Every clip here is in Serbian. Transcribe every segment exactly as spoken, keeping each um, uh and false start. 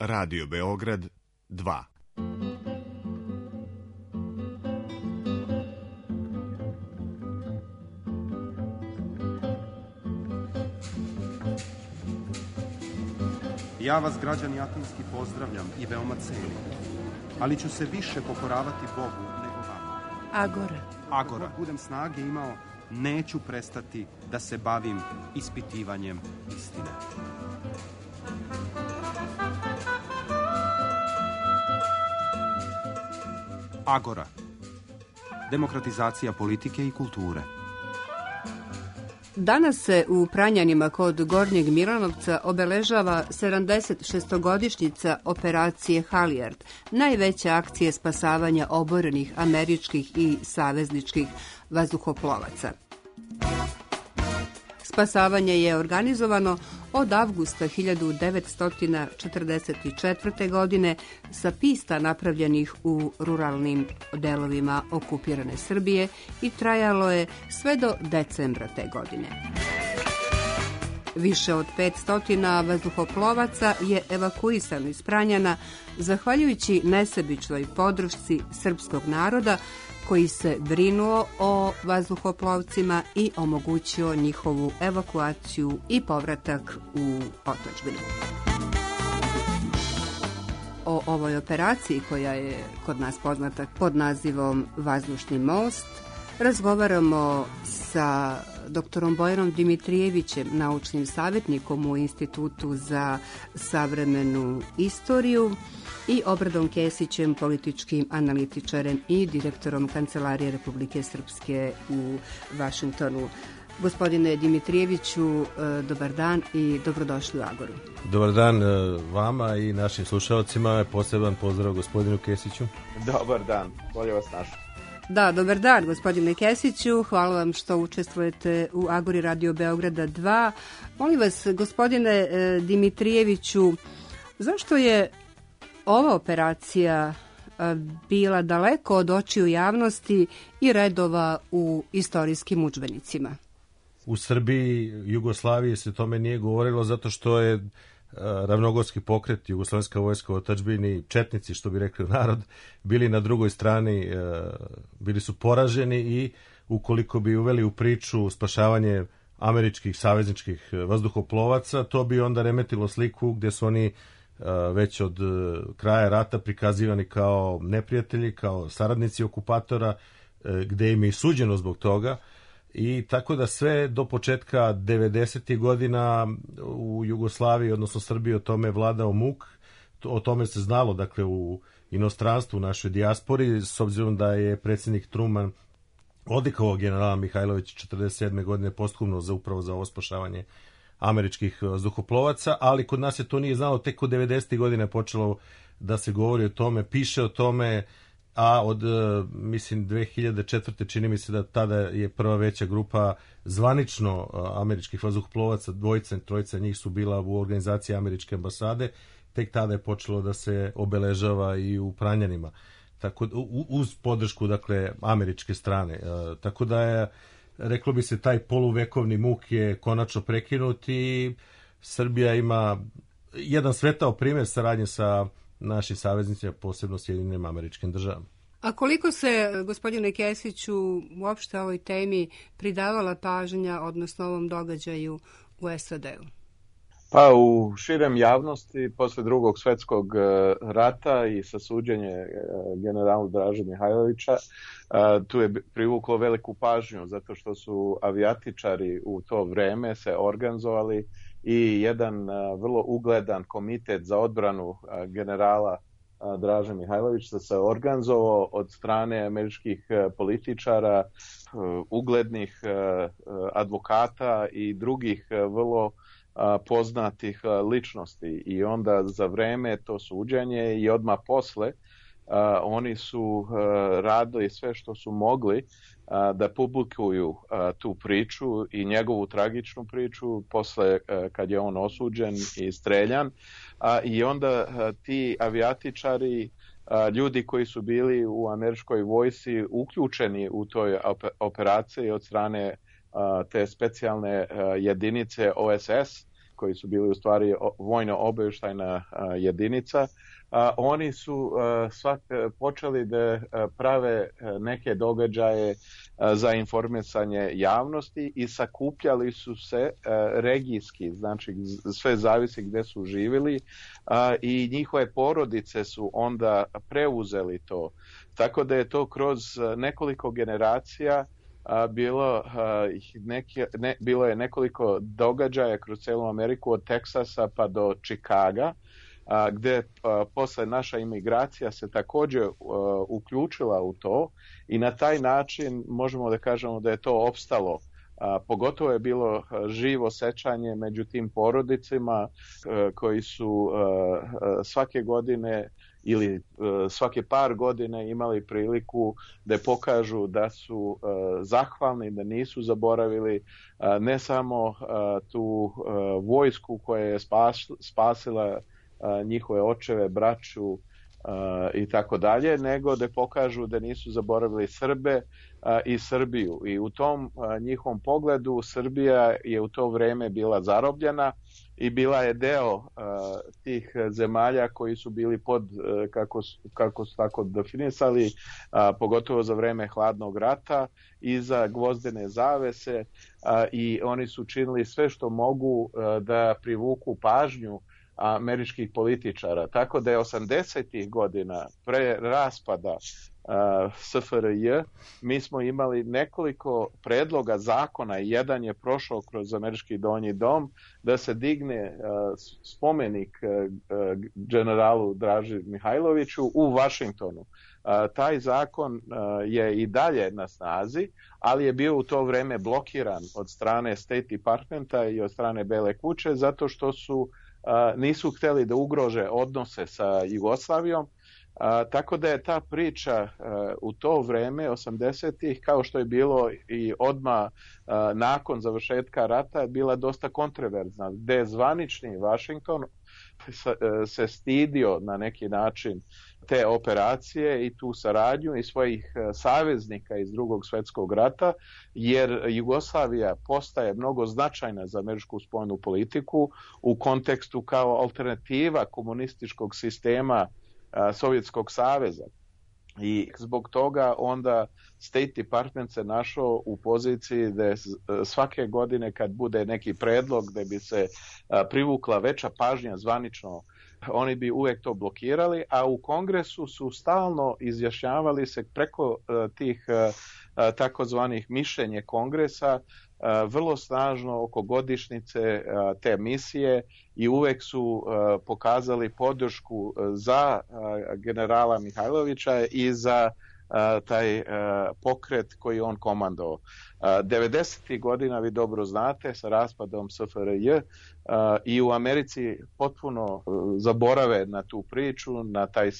Radio Beograd dva. Ja vas, građani Atinski, pozdravljam i veoma cenim, ali ću se više pokoravati Bogu nego vama. Agora. Agora. Dok budem snage imao, neću prestati da se bavim ispitivanjem istine. Agora. Demokratizacija politike i kulture. Danas se u Pranjanima kod Gornjeg Milanovca obeležava sedamdeset šestogodišnjica operacije Halijard, najveće akcije spasavanja oborenih američkih i savezničkih vazduhoplovaca. Spasavanje je organizovano od avgusta hiljadu devetsto četrdeset četvrte. godine sa pista napravljenih u ruralnim delovima okupirane Srbije i trajalo je sve do decembra te godine. Više od petsto vazduhoplovaca je evakuisano iz Pranjana zahvaljujući nesebičnoj podršci srpskog naroda koji se brinuo o vazduhoplovcima i omogućio njihovu evakuaciju i povratak u otadžbinu. O ovoj operaciji, koja je kod nas poznata pod nazivom Vazdušni most, razgovaramo sa doktorom Bojanom Dimitrijevićem, naučnim savjetnikom u Institutu za savremenu istoriju, i Obradom Kesićem, političkim analitičarem i direktorom Kancelarije Republike Srpske u Vašingtonu. Gospodine Dimitrijeviću, dobar dan i dobrodošli u Agoru. Dobar dan vama i našim slušalcima. Poseban pozdrav gospodinu Kesiću. Dobar dan, bolje vas našao. Da, dobar dan, gospodine Kesiću. Hvala vam što učestvujete u Agori Radio Beograda dva. Molim vas, gospodine Dimitrijeviću, zašto je ova operacija bila daleko od očiju javnosti i redova u istorijskim udžbenicima? U Srbiji, Jugoslaviji se tome nije govorilo zato što je ravnogorski pokret, Jugoslovenska vojska u otadžbini, četnici, što bi rekli narod, bili na drugoj strani, bili su poraženi i ukoliko bi uveli u priču spašavanje američkih savezničkih vazduhoplovaca, to bi onda remetilo sliku gdje su oni već od kraja rata prikazivani kao neprijatelji, kao saradnici okupatora, gde im je i suđeno zbog toga. I tako da sve do početka devedesetih godina u Jugoslaviji, odnosno Srbiji, o tome vladao muk. O tome se znalo, dakle, u inostranstvu, u našoj dijaspori, s obzirom da je predsjednik Truman odlikovao generala Mihajlovića četrdeset sedme. godine posthumno za upravo za ovo spašavanje američkih vazduhoplovaca, ali kod nas se to nije znalo, tek od devedesetih godina je počelo da se govori o tome, piše o tome, a od, mislim, dve hiljade četvrte. čini mi se da tada je prva veća grupa zvanično američkih vazduhoplovaca, dvojica, trojica njih su bila u organizaciji američke ambasade, tek tada je počelo da se obeležava i u Pranjanima, tako, uz podršku, dakle, američke strane. Tako da je, reklo bi se, taj poluvekovni muk je konačno prekinut i Srbija ima jedan svetao primjer saradnje sa našim saveznicima, posebno Sjedinjenim Američkim Državama. A koliko se, gospodine Kesiću, uopšte ovoj temi pridavala pažnja, odnosno ovom događaju u S A D-u? Pa u širem javnosti, posle drugog svjetskog rata i sa suđenje generalu Draže Mihajlovića, tu je privuklo veliku pažnju, zato što su avijatičari u to vreme se organizovali i jedan vrlo ugledan komitet za odbranu generala Draže Mihajlovića se organizovao od strane američkih političara, uglednih advokata i drugih vrlo poznatih ličnosti. I onda za vreme to suđenje i odmah posle oni su radili sve što su mogli da publikuju tu priču i njegovu tragičnu priču posle kad je on osuđen i streljan. I onda ti avijatičari, ljudi koji su bili u američkoj vojsci uključeni u toj operaciji od strane te specijalne jedinice O S S, koji su bili u stvari vojno-obavještajna jedinica, a, oni su a, svak, počeli da a, prave neke događaje a, za informisanje javnosti i sakupljali su se a, regijski, znači sve zavisi gdje su živjeli, a, i njihove porodice su onda preuzeli to. Tako da je to kroz nekoliko generacija a, bilo, a, neke, ne, bilo je nekoliko događaja kroz cijelu Ameriku od Teksasa pa do Čikaga, a, gdje a, posle naša imigracija se također a, uključila u to i na taj način možemo da kažemo da je to opstalo. A, pogotovo je bilo živo sećanje među tim porodicima a, koji su a, a, svake godine ili uh, svake par godine imali priliku da pokažu da su uh, zahvalni, da nisu zaboravili uh, ne samo uh, tu uh, vojsku koja je spas, spasila uh, njihove očeve, braću uh, i tako dalje, nego da pokažu da nisu zaboravili Srbe uh, i Srbiju. I u tom uh, njihovom pogledu Srbija je u to vrijeme bila zarobljena i bila je deo uh, tih zemalja koji su bili pod, uh, kako, kako su tako definisali, uh, pogotovo za vreme hladnog rata i za gvozdene zavese, uh, i oni su činili sve što mogu uh, da privuku pažnju američkih političara. Tako da je osamdesetih godina pre raspada uh, S F R J mi smo imali nekoliko predloga zakona, jedan je prošao kroz američki donji dom, da se digne uh, spomenik uh, generalu Draži Mihajloviću u Vašingtonu. Uh, taj zakon uh, je i dalje na snazi, ali je bio u to vrijeme blokiran od strane State Departmenta i od strane Bele kuće zato što su Uh, nisu htjeli da ugrože odnose sa Jugoslavijom, uh, tako da je ta priča uh, u to vrijeme osamdesetih, kao što je bilo i odmah uh, nakon završetka rata, bila dosta kontroverzna, gdje je zvanični Washington se stidio na neki način te operacije i tu saradnju i svojih saveznika iz Drugog svjetskog rata, jer Jugoslavija postaje mnogo značajna za američku spoljnu politiku u kontekstu kao alternativa komunističkog sistema a, Sovjetskog saveza. I zbog toga onda State Department se našao u poziciji da svake godine kad bude neki predlog da bi se privukla veća pažnja zvanično, oni bi uvijek to blokirali, a u Kongresu su stalno izjašnjavali se preko tih takozvanih mišljenje Kongresa vrlo snažno oko godišnjice te misije i uvijek su pokazali podršku za generala Mihajlovića i za taj pokret koji on komandovao. devedesetih godina, vi dobro znate, sa raspadom S F R J i u Americi potpuno zaborave na tu priču, na taj,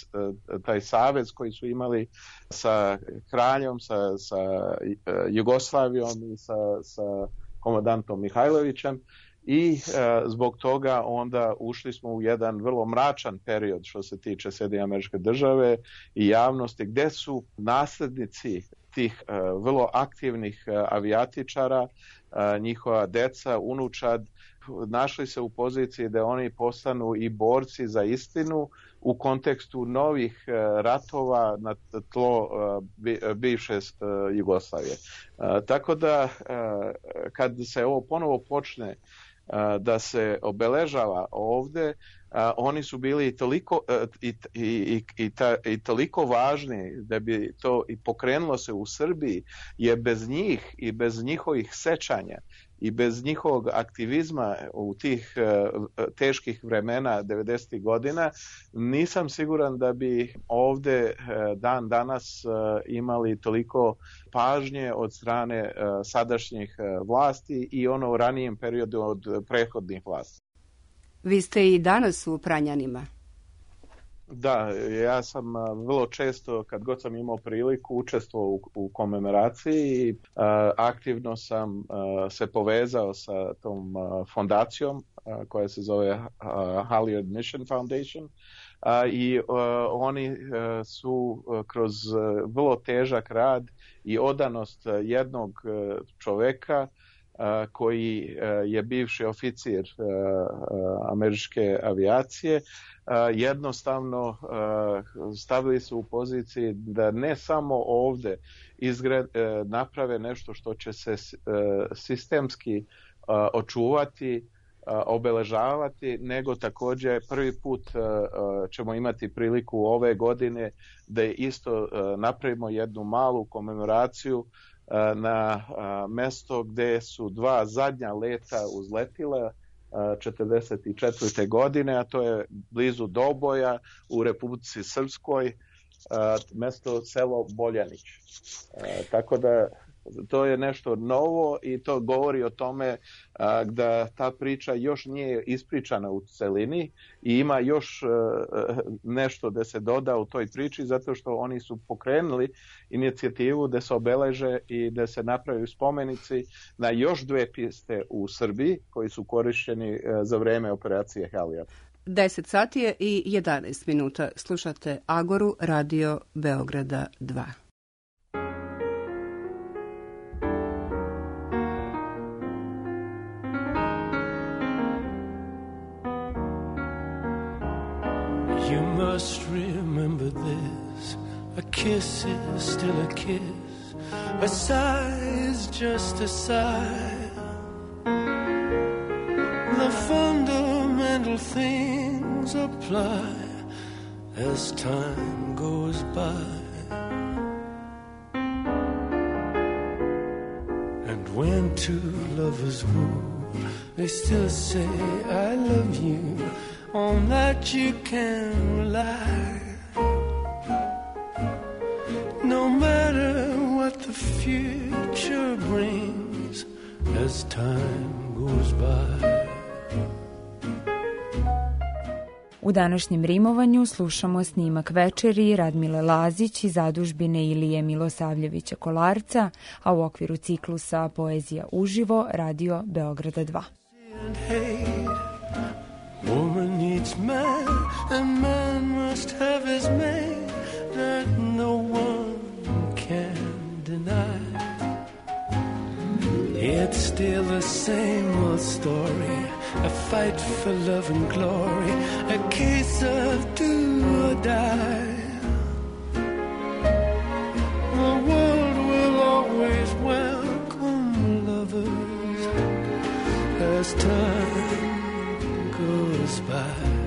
taj savez koji su imali sa kraljom, sa, sa Jugoslavijom i sa, sa komandantom Mihajlovićem. I e, zbog toga onda ušli smo u jedan vrlo mračan period što se tiče Sjedinjenih Američke Države i javnosti, gdje su nasljednici tih e, vrlo aktivnih e, avijatičara, e, njihova deca, unučad, našli se u poziciji da oni postanu i borci za istinu u kontekstu novih e, ratova na tlo e, bivše e, Jugoslavije. E, tako da e, kad se ovo ponovo počne da se obeležava ovdje, a, oni su bili toliko, a, i, i, i, ta, i toliko važni da bi to i pokrenulo se u Srbiji, jer bez njih i bez njihovih sećanja i bez njihovog aktivizma u tih uh, teških vremena devedesetih godina nisam siguran da bi ovdje uh, dan danas uh, imali toliko pažnje od strane uh, sadašnjih uh, vlasti i ono u ranijem periodu od prethodnih vlasti. Vi ste i danas u Pranjanima. Da, ja sam vrlo često, kad god sam imao priliku, učestvovao u, u komemoraciji i uh, aktivno sam uh, se povezao sa tom uh, fondacijom uh, koja se zove uh, Halyard Mission Foundation uh, i uh, oni uh, su uh, kroz uh, vrlo težak rad i odanost uh, jednog uh, čoveka koji je bivši oficir američke avijacije, jednostavno stavili su u poziciji da ne samo ovdje izgred, naprave nešto što će se sistemski očuvati, obeležavati, nego također prvi put ćemo imati priliku ove godine da isto napravimo jednu malu komemoraciju na mesto gdje su dva zadnja leta uzletila četrdeset četvrte godine, a to je blizu Doboja u Republici Srpskoj, mesto selo Boljanić. Tako da to je nešto novo i to govori o tome a, da ta priča još nije ispričana u celini i ima još a, nešto da se doda u toj priči, zato što oni su pokrenuli inicijativu da se obeleže i da se napravi spomenici na još dve piste u Srbiji koji su korišćeni a, za vreme operacije Halijard. deset sati je i jedanaest minuta. Slušate Agoru, radio Beograda dva. You must remember this, a kiss is still a kiss, a sigh is just a sigh. The fundamental things apply as time goes by. And when two lovers woo, they still say I love you, on that you can rely. No matter what the future brings as time goes by. U današnjem rimovanju slušamo snimak večeri Radmile Lazić iz zadužbine Ilije Milosavljevića Kolarca, a u okviru ciklusa Poezija uživo, radio Beograda dva. Woman needs man, and man must have his mate that no one can deny. It's still the same old story, a fight for love and glory, a case of do or die. The world will always welcome lovers as time goes by.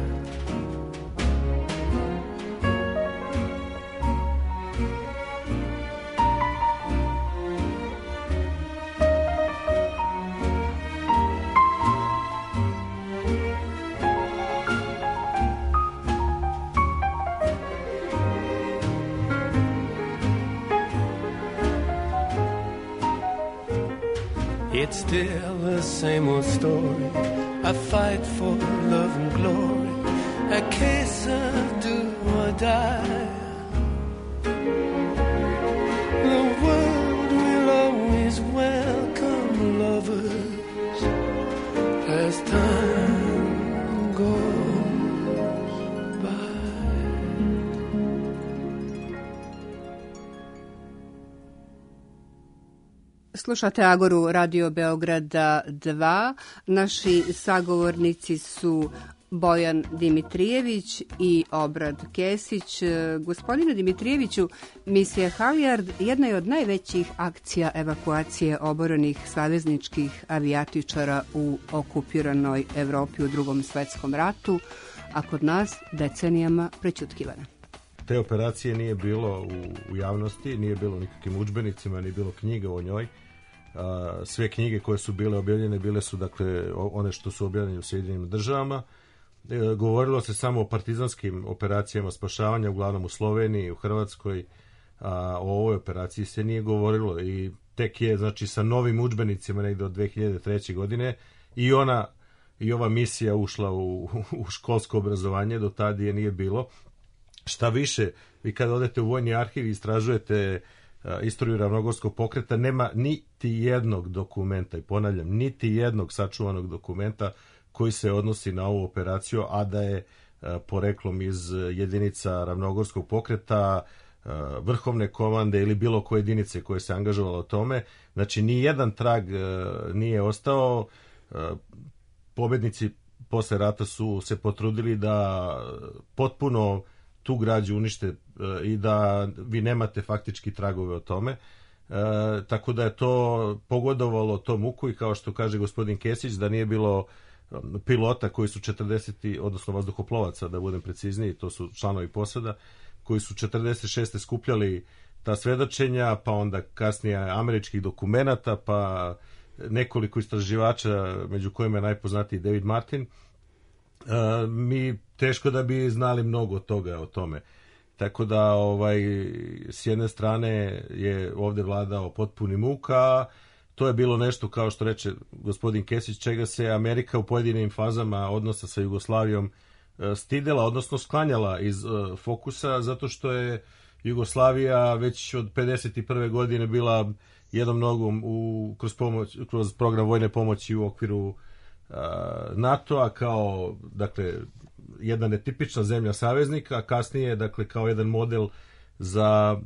It's still the same old story, a fight for love and glory, a case of do or die. The world will always welcome lovers as time goes by. Slušate Agoru, radio Beograda dva. Naši sagovornici su Bojan Dimitrijević i Obrad Kesić. Gospodine Dimitrijeviću, misija Halijard jedna je od najvećih akcija evakuacije oborenih savezničkih avijatičara u okupiranoj Evropi u Drugom svetskom ratu, a kod nas decenijama prećutkivana. Te operacije nije bilo u, u javnosti, nije bilo nikakvim udžbenicima, nije bilo knjiga o njoj. A, sve knjige koje su bile objavljene bile su dakle one što su objavljene u Sjedinjenim državama. E, govorilo se samo o partizanskim operacijama spašavanja, uglavnom u Sloveniji, u Hrvatskoj. A, o ovoj operaciji se nije govorilo i tek je znači sa novim udžbenicima negdje od dve hiljade treće. godine i ona i ova misija ušla u, u školsko obrazovanje, do tada je nije bilo. Šta više, vi kad odete u Vojni arhiv i istražujete uh, istoriju Ravnogorskog pokreta, nema niti jednog dokumenta, i ponavljam, niti jednog sačuvanog dokumenta koji se odnosi na ovu operaciju, a da je uh, poreklom iz jedinica Ravnogorskog pokreta, vrhovne komande ili bilo koje jedinice koje se angažovalo o tome. Znači, ni jedan trag nije ostao. Pobednici posle rata su se potrudili da potpuno tu građu unište i da vi nemate faktički tragove o tome. E, tako da je to pogodovalo tom uku i kao što kaže gospodin Kesić, da nije bilo pilota koji su četrdeset, odnosno vazduhoplovaca, da budem precizniji, to su članovi posada, koji su četrdeset šeste skupljali ta svedočenja, pa onda kasnije američkih dokumenata, pa nekoliko istraživača, među kojima je najpoznatiji David Martin. E, mi teško da bi znali mnogo toga o tome. Tako da ovaj, s jedne strane je ovdje vladao potpuni muk, a to je bilo nešto, kao što reče gospodin Kesić, čega se Amerika u pojedinim fazama odnosa sa Jugoslavijom stidela, odnosno sklanjala iz fokusa, zato što je Jugoslavija već od pedeset prve godine bila jednom nogom u, kroz, pomoć, kroz program vojne pomoći u okviru NATO-a kao, dakle, jedna netipična zemlja saveznika, a kasnije, dakle, kao jedan model za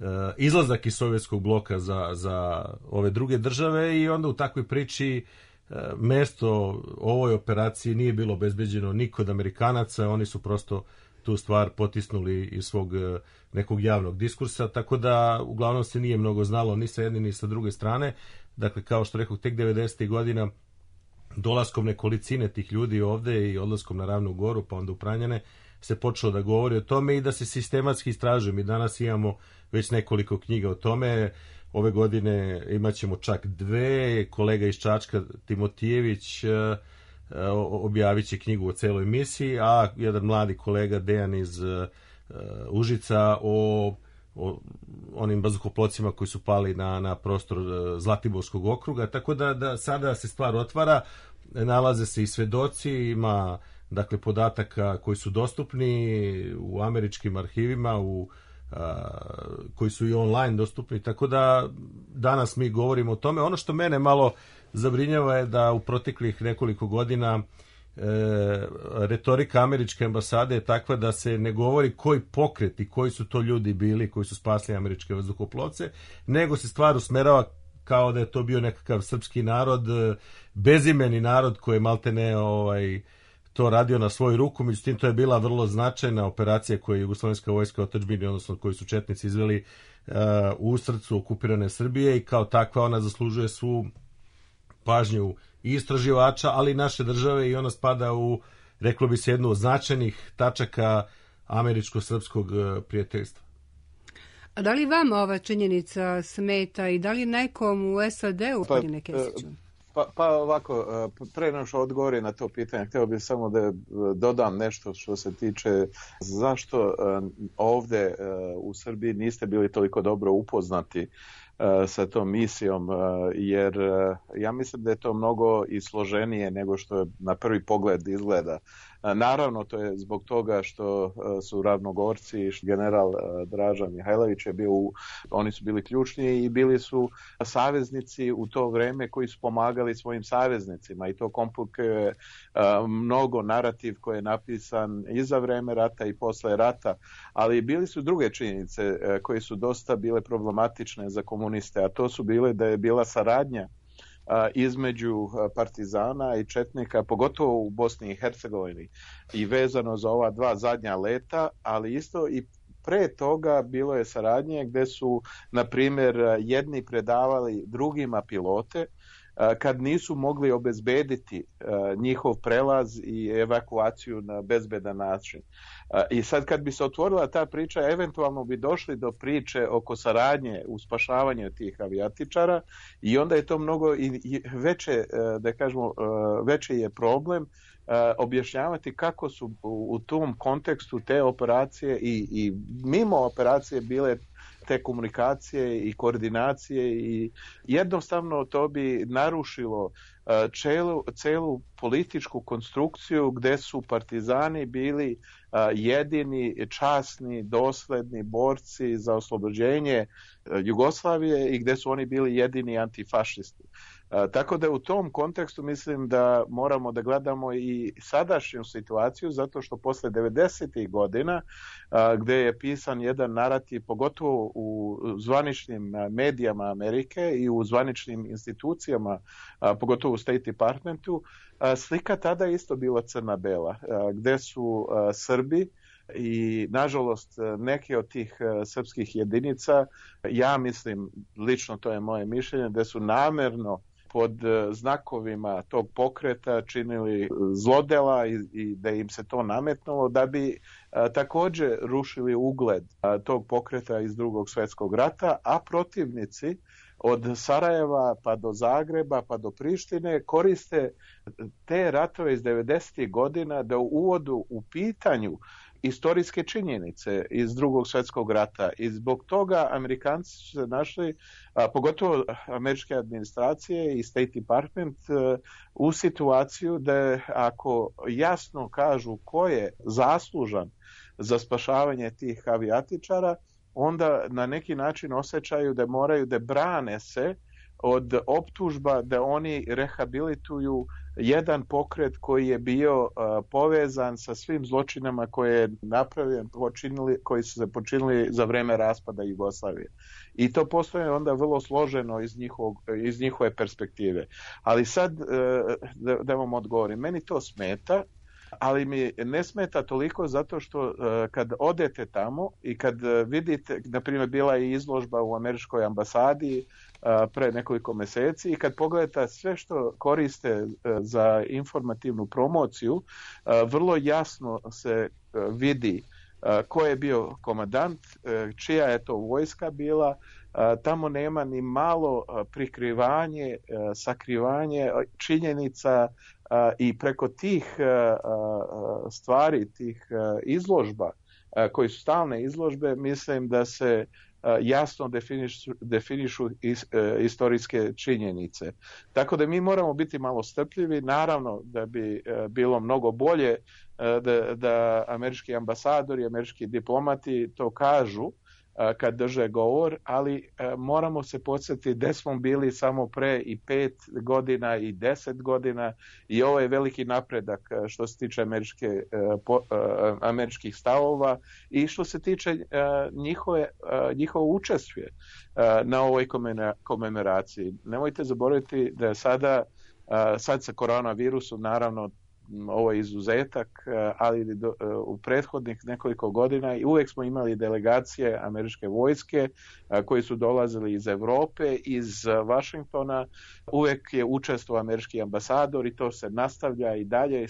e, izlazak iz sovjetskog bloka za, za ove druge države i onda u takvoj priči e, mesto ovoj operaciji nije bilo obezbeđeno ni kod Amerikanaca, oni su prosto tu stvar potisnuli iz svog e, nekog javnog diskursa, tako da uglavnom se nije mnogo znalo ni sa jedne ni sa druge strane. Dakle, kao što rekao, tek devedesetih godina dolaskom nekolicine tih ljudi ovde i odlaskom na Ravnu Goru, pa onda u Pranjane, se počelo da govori o tome i da se sistematski istražuje. Mi danas imamo već nekoliko knjiga o tome. Ove godine imat ćemo čak dve. Kolega iz Čačka, Timotijević, objavit će knjigu o celoj misiji, a jedan mladi kolega, Dejan iz Užica, o, o onim vazduhoplocima koji su pali na, na prostor Zlatiborskog okruga. Tako da, da sada se stvar otvara, nalaze se i svedoci, ima, dakle, podataka koji su dostupni u američkim arhivima, u, a, koji su i online dostupni, tako da danas mi govorimo o tome. Ono što mene malo zabrinjava je da u proteklih nekoliko godina e, retorika američke ambasade je takva da se ne govori koji pokret i koji su to ljudi bili koji su spasli američke vazduhoplovce, nego se stvar usmerava kao da je to bio nekakav srpski narod, bezimeni narod koji je maltene ovaj, to radio na svoju ruku. Međutim, to je bila vrlo značajna operacija koju je Jugoslovenska vojska otadžbine, odnosno koju su četnici izveli uh, u srcu okupirane Srbije i kao takva ona zaslužuje svu pažnju i istraživača, ali i naše države, i ona spada u, reklo bi se, jednu od značajnih tačaka američko-srpskog prijateljstva. A da li vam ova činjenica smeta i da li nekom u S A D-u, pa, gospodine Kesiću? Pa, pa ovako, pre nego što odgovorim na to pitanje, htio bih samo da dodam nešto što se tiče zašto ovde u Srbiji niste bili toliko dobro upoznati sa tom misijom, jer ja mislim da je to mnogo i složenije nego što je na prvi pogled izgleda. Naravno, to je zbog toga što su Ravnogorci, general Draža Mihajlović je bio, oni su bili ključni i bili su saveznici u to vreme koji su pomagali svojim saveznicima, i to komplikuje mnogo narativ koji je napisan i za vreme rata i posle rata, ali bili su druge činjenice koje su dosta bile problematične za komuniste, a to su bile da je bila saradnja između partizana i četnika, pogotovo u Bosni i Hercegovini, i vezano za ova dva zadnja leta, ali isto i pre toga bilo je saradnje gde su, na primjer, jedni predavali drugima pilote kad nisu mogli obezbediti njihov prelaz i evakuaciju na bezbedan način. I sad kad bi se otvorila ta priča, eventualno bi došli do priče oko saradnje u spašavanju tih avijatičara, i onda je to mnogo i veće, da kažemo, veći je problem objašnjavati kako su u tom kontekstu te operacije i, i mimo operacije bile te komunikacije i koordinacije, i jednostavno to bi narušilo celu, celu političku konstrukciju gde su partizani bili jedini časni, dosledni borci za oslobođenje Jugoslavije i gde su oni bili jedini antifašisti. A, tako da u tom kontekstu mislim da moramo da gledamo i sadašnju situaciju, zato što posle devedesetih godina a, gde je pisan jedan narativ, pogotovo u zvaničnim medijama Amerike i u zvaničnim institucijama, a, pogotovo u State Departmentu, a, slika tada je isto bila crna-bela, a, gde su a, Srbi i nažalost neke od tih srpskih jedinica, ja mislim, lično to je moje mišljenje, da su namerno pod znakovima tog pokreta činili zlodela i, i da im se to nametnulo da bi a, također rušili ugled a, tog pokreta iz Drugog svjetskog rata, a protivnici od Sarajeva pa do Zagreba pa do Prištine koriste te ratove iz devedesetih godina da uvodu u pitanju istorijske činjenice iz Drugog svjetskog rata i zbog toga Amerikanci su se našli, a, pogotovo američke administracije i State Department, a, u situaciju da ako jasno kažu ko je zaslužan za spašavanje tih avijatičara, onda na neki način osjećaju da moraju da brane se od optužba da oni rehabilituju jedan pokret koji je bio uh, povezan sa svim zločinama koje je napravljen, počinili, koji su se počinili za vreme raspada Jugoslavije. I to postoje onda vrlo složeno iz, njihovog, iz njihove perspektive. Ali sad, uh, da, da vam odgovorim, meni to smeta, ali mi ne smeta toliko zato što uh, kad odete tamo i kad uh, vidite, na primjer bila je izložba u američkoj ambasadi uh, pre nekoliko mjeseci i kad pogledate sve što koriste uh, za informativnu promociju, uh, vrlo jasno se uh, vidi uh, ko je bio komandant, uh, čija je to vojska bila, uh, tamo nema ni malo uh, prikrivanje, uh, sakrivanje činjenica. Uh, i preko tih uh, uh, stvari, tih uh, izložba, uh, koji su stalne izložbe, mislim da se uh, jasno definišu, definišu is, uh, istorijske činjenice. Tako da mi moramo biti malo strpljivi, naravno da bi uh, bilo mnogo bolje uh, da, da američki ambasadori, američki diplomati to kažu kad drže govor, ali moramo se podsjetiti gde smo bili samo pre i pet godina i deset godina i ovo je veliki napredak što se tiče američke, po, američkih stavova i što se tiče njihove, njihovo učešće na ovoj komemoraciji. Nemojte zaboraviti da je sada, sad sa koronavirusom naravno ovo je izuzetak, ali do, u prethodnih nekoliko godina i uvijek smo imali delegacije američke vojske koji su dolazili iz Europe, iz Washingtona, uvijek je učestvovao američki ambasador i to se nastavlja i dalje.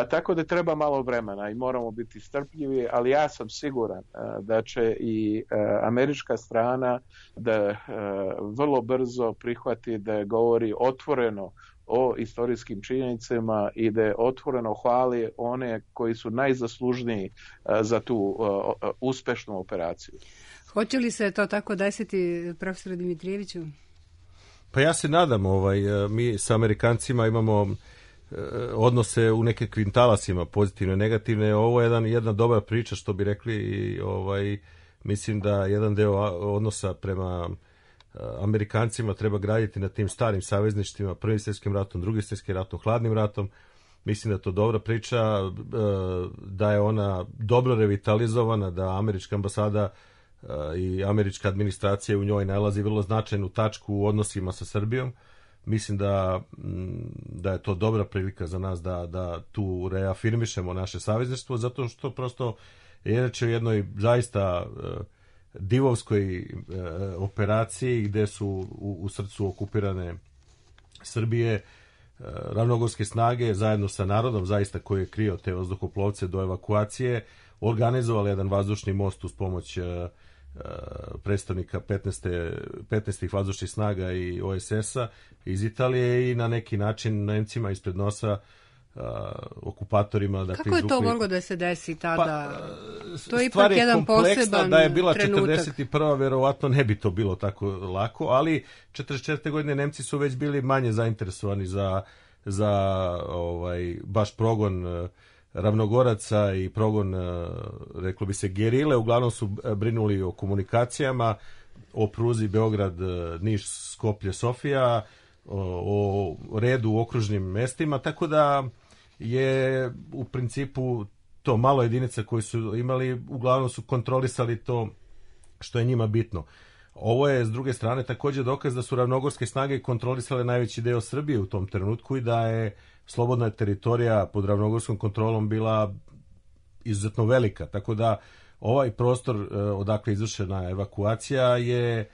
Tako da treba malo vremena i moramo biti strpljivi, ali ja sam siguran da će i američka strana da vrlo brzo prihvati da govori otvoreno o istorijskim činjenicama i da otvoreno hvali one koji su najzaslužniji za tu uh, uspešnu operaciju. Hoće li se to tako desiti, profesore Dimitrijeviću? Pa ja se nadam, ovaj, mi sa Amerikancima imamo odnose u neke kvintalasima, pozitivne, negativne. Ovo je jedan, jedna dobra priča, što bi rekli, i ovaj, mislim da jedan deo odnosa prema Amerikancima treba graditi na tim starim savezništvima, Prvim svjetskim ratom, Drugim svjetskim ratom, Hladnim ratom. Mislim da je to dobra priča, da je ona dobro revitalizovana, da američka ambasada i američka administracija u njoj nalazi vrlo značajnu tačku u odnosima sa Srbijom. Mislim da, da je to dobra prilika za nas da, da tu reafirmišemo naše savezništvo, zato što prosto je reč o jednoj zaista divovskoj e, operaciji gde su u, u srcu okupirane Srbije e, ravnogorske snage zajedno sa narodom zaista koji je krio te vazduhoplovce do evakuacije, organizovali jedan vazdušni most uz pomoć e, e, predstavnika petnaestih vazdušnih snaga i O S S-a iz Italije i na neki način Nemcima ispred nosa Uh, okupatorima. Dakle, kako je izvukli... to moglo da se desi tada? Pa, to je ipak je jedan poseban da je bila trenutak. četrdeset prva verovatno ne bi to bilo tako lako, ali četrdeset četvrte godine Nemci su već bili manje zainteresovani za, za ovaj, baš progon uh, ravnogoraca i progon, uh, reklo bi se, gerile. Uglavnom su brinuli o komunikacijama, o pruzi Beograd, Niš, Skoplje, Sofija. o, o redu u okružnim mestima, tako da je u principu to malo jedinica koji su imali, uglavnom su kontrolisali to što je njima bitno. Ovo je, s druge strane, također dokaz da su ravnogorske snage kontrolisale najveći deo Srbije u tom trenutku i da je slobodna teritorija pod ravnogorskom kontrolom bila izuzetno velika. Tako da ovaj prostor odakle je izvršena evakuacija je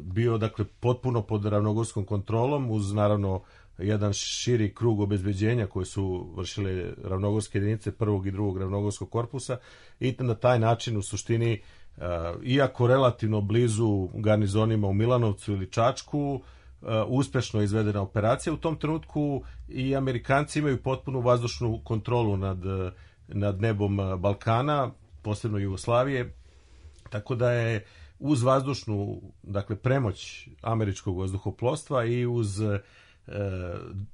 bio, dakle, potpuno pod ravnogorskom kontrolom, uz naravno jedan širi krug obezbeđenja koje su vršile ravnogorske jedinice prvog i drugog ravnogorskog korpusa, i na taj način u suštini, iako relativno blizu garnizonima u Milanovcu ili Čačku, uspešno izvedena operacija. U tom trenutku i Amerikanci imaju potpunu vazdušnu kontrolu nad, nad nebom Balkana, posebno Jugoslavije, tako da je uz vazdušnu, dakle, premoć američkog vazduhoplovstva i uz e,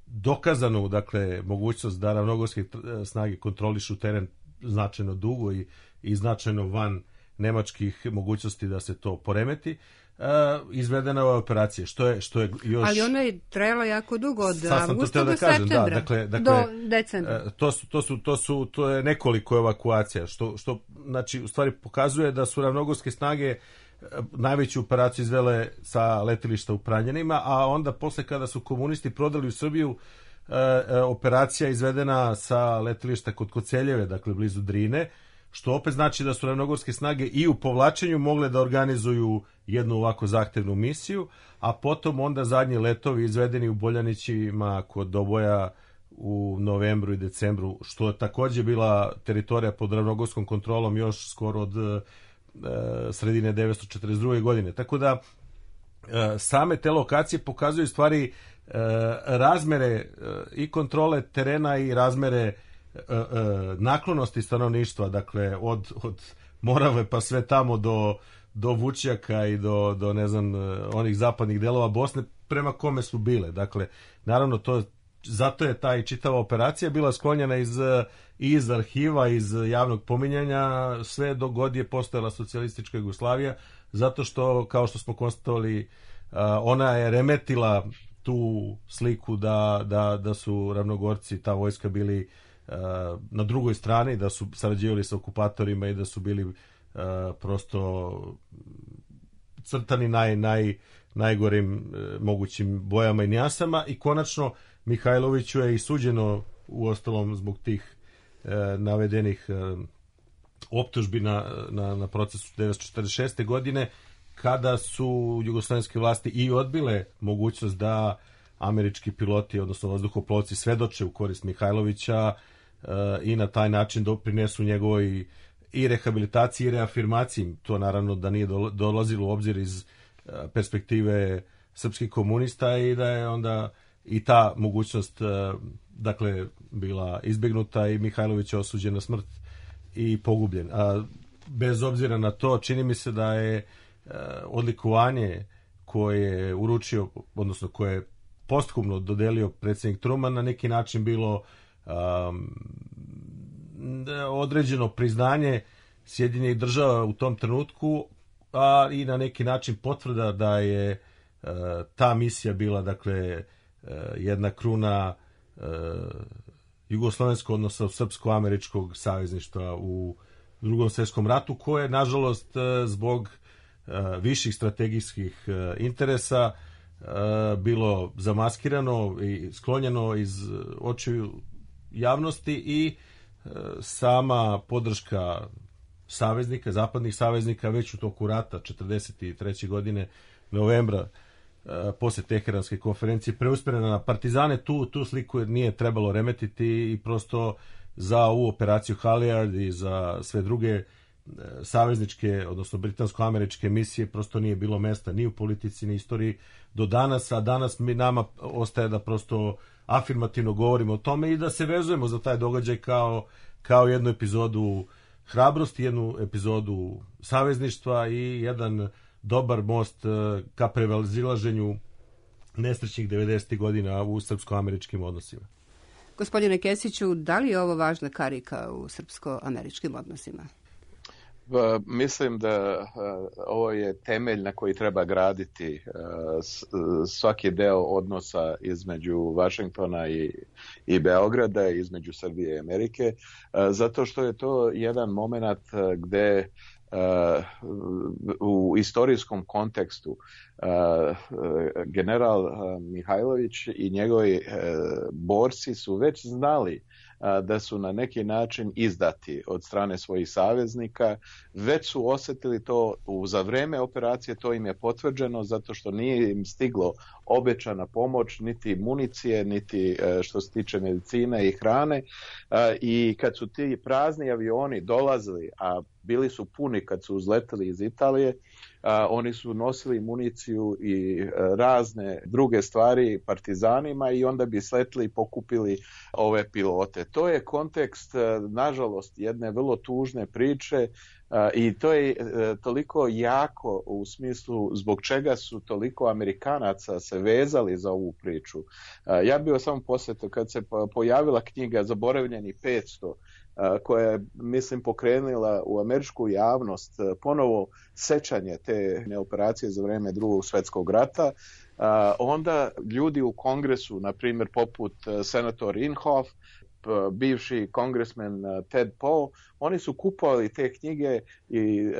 dokazanu, dakle, mogućnost da ravnogorske snage kontrolišu teren značajno dugo i, i značajno van nemačkih mogućnosti da se to poremeti, e, izvedena ova operacija, što je, što je još... Ali ona je trajala jako dugo, od avgusta do da kažem, septembra, da, dakle, dakle, do decembra. To su, to su, to su, to je nekoliko evakuacija, što, što, znači, u stvari pokazuje da su ravnogorske snage najveću operaciju izvele sa letilišta u Pranjanima, a onda posle kada su komunisti prodali u Srbiju, e, operacija izvedena sa letilišta kod Koceljeve, dakle blizu Drine, što opet znači da su ravnogorske snage i u povlačenju mogle da organizuju jednu ovako zahtevnu misiju, a potom onda zadnji letovi izvedeni u Boljanićima kod Doboja u novembru i decembru, što je također bila teritorija pod ravnogorskom kontrolom još skoro od sredine devetsto četrdeset druge godine. Tako da same te lokacije pokazuju stvari razmere i kontrole terena i razmere naklonosti stanovništva, dakle od, od Morave pa sve tamo do, do Vučjaka i do, do ne znam, onih zapadnih delova Bosne prema kome su bile. Dakle, naravno to, zato je ta i čitava operacija bila sklonjena iz, iz arhiva, iz javnog pominjanja, sve dok god je postojala socijalistička Jugoslavija, zato što, kao što smo konstatovali, ona je remetila tu sliku da, da, da su ravnogorci, ta vojska, bili na drugoj strani, da su sarađivali sa okupatorima i da su bili prosto crtani naj, naj, najgorim mogućim bojama i nijasama. I konačno Mihajloviću je i suđeno, u ostalom zbog tih e, navedenih e, optužbi na, na, na procesu devetsto četrdeset šeste. godine, kada su jugoslovenske vlasti i odbile mogućnost da američki piloti, odnosno vazduhoplovci, svedoče u korist Mihajlovića e, i na taj način doprinesu njegovoj i rehabilitaciji i reafirmaciji. To naravno da nije dolazilo u obzir iz e, perspektive srpskih komunista i da je onda i ta mogućnost, dakle, bila izbjegnuta i Mihajlović je osuđen na smrt i pogubljen. A bez obzira na to, čini mi se da je odlikovanje koje je uručio, odnosno koje je posthumno dodelio predsjednik Truman, na neki način bilo um, određeno priznanje Sjedinjenih država u tom trenutku, a i na neki način potvrda da je uh, ta misija bila, dakle, jedna kruna e, jugoslovenskog, odnosno srpsko-američkog savezništva u Drugom svjetskom ratu, koje, nažalost, zbog e, viših strategijskih e, interesa e, bilo zamaskirano i sklonjeno iz očiju javnosti i e, sama podrška saveznika, zapadnih saveznika, već u toku rata četrdeset treće. godine, novembra, posle Teheranske konferencije, preusmjerena na partizane. Tu, tu sliku nije trebalo remetiti i prosto za ovu operaciju Halyard i za sve druge savezničke, odnosno britansko-američke misije prosto nije bilo mesta ni u politici, ni istoriji do danas, a danas mi nama ostaje da prosto afirmativno govorimo o tome i da se vezujemo za taj događaj kao, kao jednu epizodu hrabrosti, jednu epizodu savezništva i jedan dobar most ka prevazilaženju nesrećnih devedesetih godina u srpsko-američkim odnosima. Gospodine Kesiću, da li je ovo važna karika u srpsko-američkim odnosima? Pa, mislim da uh, ovo je temelj na koji treba graditi uh, s, svaki deo odnosa između Vašingtona i, i Beograda, između Srbije i Amerike, uh, zato što je to jedan moment uh, gde Uh, u istorijskom kontekstu uh, general uh, Mihajlović i njegovi uh, borci su već znali uh, da su na neki način izdati od strane svojih saveznika, već su osjetili to u, za vreme operacije, to im je potvrđeno zato što nije im stiglo obećana pomoć, niti municije, niti uh, što se tiče medicine i hrane, uh, i kad su ti prazni avioni dolazili, a bili su puni kad su uzleteli iz Italije, a, oni su nosili municiju i a, razne druge stvari partizanima i onda bi sletili i pokupili ove pilote. To je kontekst, a, nažalost, jedne vrlo tužne priče a, i to je a, toliko jako u smislu zbog čega su toliko Amerikanaca se vezali za ovu priču. A, ja bih samo posjetio kad se pojavila knjiga Zaboravljeni petsto, koja je, mislim, pokrenula u američku javnost ponovo sećanje te operacije za vreme Drugog svjetskog rata, onda ljudi u kongresu, na primjer poput senator Inhofe, bivši kongresmen Ted Poe, oni su kupovali te knjige i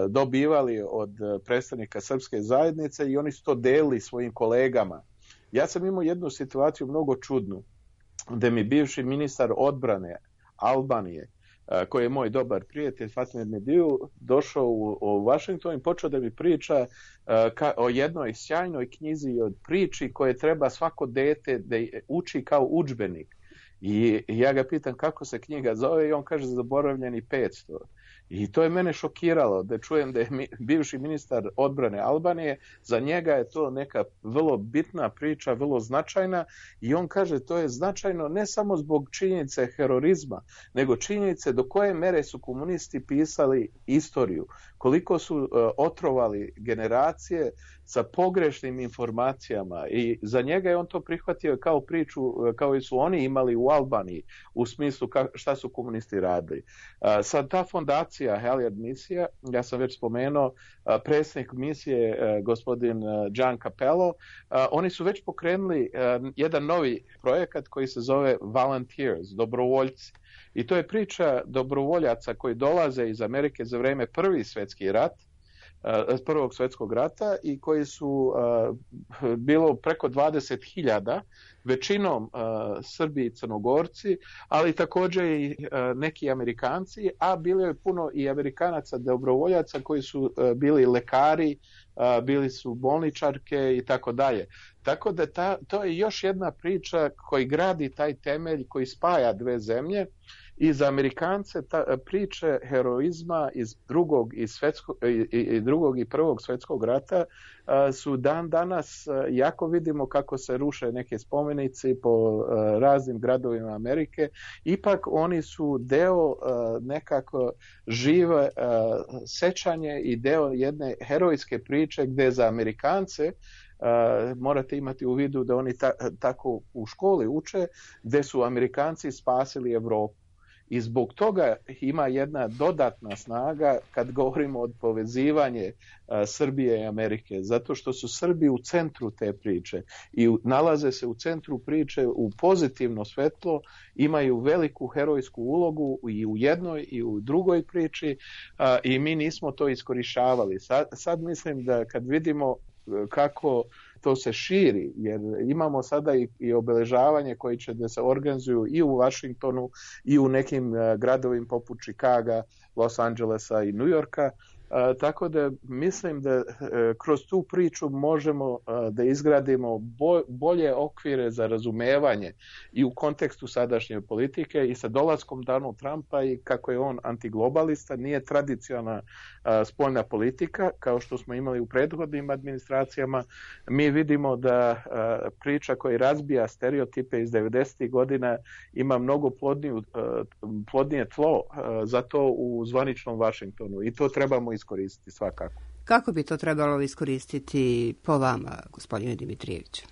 dobivali od predstavnika srpske zajednice i oni su to delili svojim kolegama. Ja sam imao jednu situaciju mnogo čudnu, gde mi bivši ministar odbrane Albanije, koji je moj dobar prijatelj, Fatmir Mediju, došao u, u Washington i počeo da mi priča ka, o jednoj sjajnoj knjizi i od priči koje treba svako dete da uči kao udžbenik. I ja ga pitam kako se knjiga zove i on kaže Zaboravljeni petsto. I to je mene šokiralo da čujem da je mi, bivši ministar odbrane Albanije, za njega je to neka vrlo bitna priča, vrlo značajna i on kaže to je značajno ne samo zbog činjenice herorizma, nego činjenice do koje mere su komunisti pisali istoriju, koliko su uh, otrovali generacije sa pogrešnim informacijama i za njega je on to prihvatio kao priču kao i su oni imali u Albaniji u smislu ka, šta su komunisti radili. Uh, sad ta fondacija Halyard misija, ja sam već spomenuo, uh, predsjednik misije uh, gospodin uh, Gian Capello, uh, oni su već pokrenuli uh, jedan novi projekat koji se zove Volunteers, dobrovoljci. I to je priča dobrovoljaca koji dolaze iz Amerike za vreme Prvi svjetski rat, Prvog svjetskog rata i koji su uh, bilo preko dvadeset hiljada, većinom uh, Srbi i Crnogorci, ali također i uh, neki Amerikanci, a bilo je puno i Amerikanaca dobrovoljaca koji su uh, bili lekari, uh, bili su bolničarke i tako dalje. Tako da ta, to je još jedna priča koji gradi taj temelj koji spaja dve zemlje. I za Amerikance ta priče heroizma iz drugog i, svetsko, i, i drugog i prvog svjetskog rata a, su dan danas, a, jako vidimo kako se ruše neke spomenici po a, raznim gradovima Amerike, ipak oni su deo a, nekako žive a, sećanje i deo jedne herojske priče gdje za Amerikance Uh, morate imati u vidu da oni ta, tako u školi uče, gdje su Amerikanci spasili Evropu. I zbog toga ima jedna dodatna snaga kad govorimo o povezivanje uh, Srbije i Amerike, zato što su Srbi u centru te priče i u, nalaze se u centru priče u pozitivno svetlo, imaju veliku herojsku ulogu i u jednoj i u drugoj priči uh, i mi nismo to iskorištavali. Sad, sad mislim da kad vidimo kako to se širi, jer imamo sada i, i obeležavanje koji će da se organizuju i u Washingtonu i u nekim uh, gradovima poput Chicaga, Los Angelesa i New Yorka. Uh, tako da mislim da uh, kroz tu priču možemo uh, da izgradimo bo, bolje okvire za razumevanje i u kontekstu sadašnje politike i sa dolaskom Donald Trumpa i kako je on antiglobalista, nije tradicionalna uh, spoljna politika kao što smo imali u prethodnim administracijama. Mi vidimo da uh, priča koja razbija stereotipe iz devedesetih godina ima mnogo plodniju, uh, plodnije tlo uh, za to u zvaničnom Washingtonu i to trebamo iskoristiti svakako. Kako bi to trebalo iskoristiti po vama, gospodine Dimitrijeviću?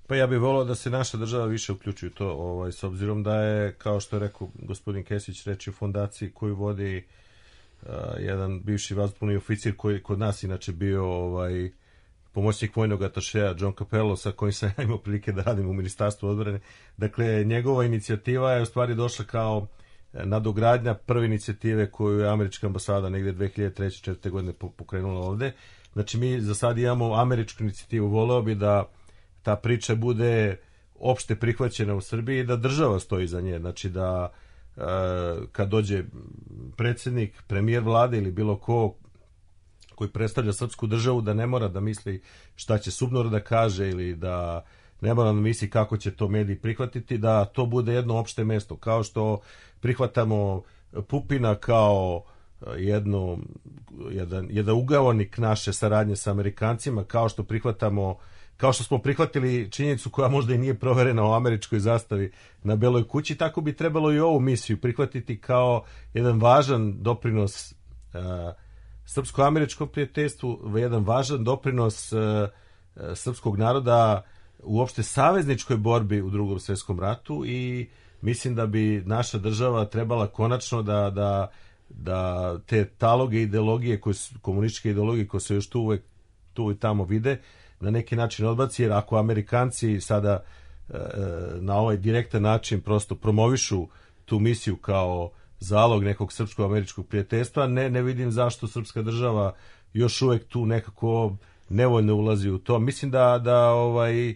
Pa ja bih volio da se naša država više uključuje to, ovaj, s obzirom da je, kao što je rekao gospodin Kesić, reč o fondaciji koju vodi jedan bivši vazduhoplovni oficir koji kod nas inače bio ovaj pomoćnik vojnog atašeja John Capello, sa kojim sam ja imao prilike da radim u Ministarstvu odbrane. Dakle, njegova inicijativa je u stvari došla kao nadogradnja prve inicijative koju je američka ambasada negdje dve hiljade treće četvrte godine pokrenula ovde. Znači, mi za sad imamo američku inicijativu. Voleo bi da ta priča bude opšte prihvaćena u Srbiji i da država stoji za nje. Znači, da e, kad dođe predsjednik, premijer vlade ili bilo ko koji predstavlja srpsku državu, da ne mora da misli šta će SUBNOR da kaže ili da ne mora da misli kako će to mediji prihvatiti, da to bude jedno opšte mesto. Kao što prihvatamo Pupina kao jedno, jedan, jedan ugaonik naše saradnje sa Amerikancima, kao što prihvatamo kao što smo prihvatili činjenicu koja možda i nije proverena u američkoj zastavi na Beloj kući, tako bi trebalo i ovu misiju prihvatiti kao jedan važan doprinos uh, srpsko-američkom prijateljstvu, jedan važan doprinos uh, srpskog naroda uopšte savezničkoj borbi u Drugom svjetskom ratu, i mislim da bi naša država trebala konačno da, da, da te taloge ideologije, koje su, komunističke ideologije koje se još tu uvek tu i tamo vide, na neki način odbaci, jer ako Amerikanci sada e, na ovaj direktan način prosto promovišu tu misiju kao zalog nekog srpsko-američkog prijateljstva, ne, ne vidim zašto srpska država još uvek tu nekako nevoljno ulazi u to. Mislim da, da, ovaj,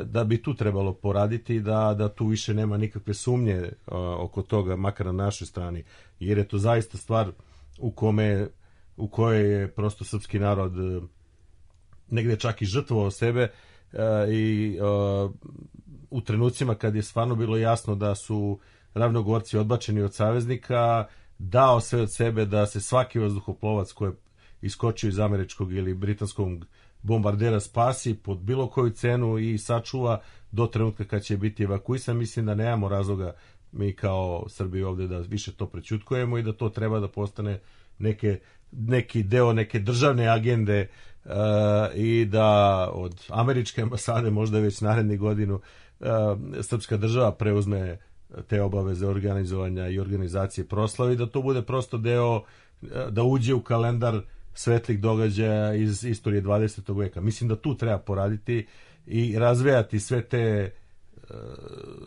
da bi tu trebalo poraditi, da, da tu više nema nikakve sumnje a, oko toga, makar na našoj strani, jer je to zaista stvar u kome u kojoj je prosto srpski narod negde čak i žrtvovao sebe uh, i uh, u trenucima kad je stvarno bilo jasno da su Ravnogorci odbačeni od saveznika, dao sve od sebe da se svaki vazduhoplovac koji je iskočio iz američkog ili britanskog bombardera spasi pod bilo koju cenu i sačuva do trenutka kad će biti evakuisan. Mislim da nemamo razloga mi kao Srbi ovde da više to prećutkujemo i da to treba da postane neke, neki deo neke državne agende, Uh, i da od američke ambasade možda već naredni godinu uh, srpska država preuzme te obaveze organizovanja i organizacije proslave i da to bude prosto deo, uh, da uđe u kalendar svetlih događaja iz istorije dvadesetog veka. Mislim da tu treba poraditi i razvijati sve te uh,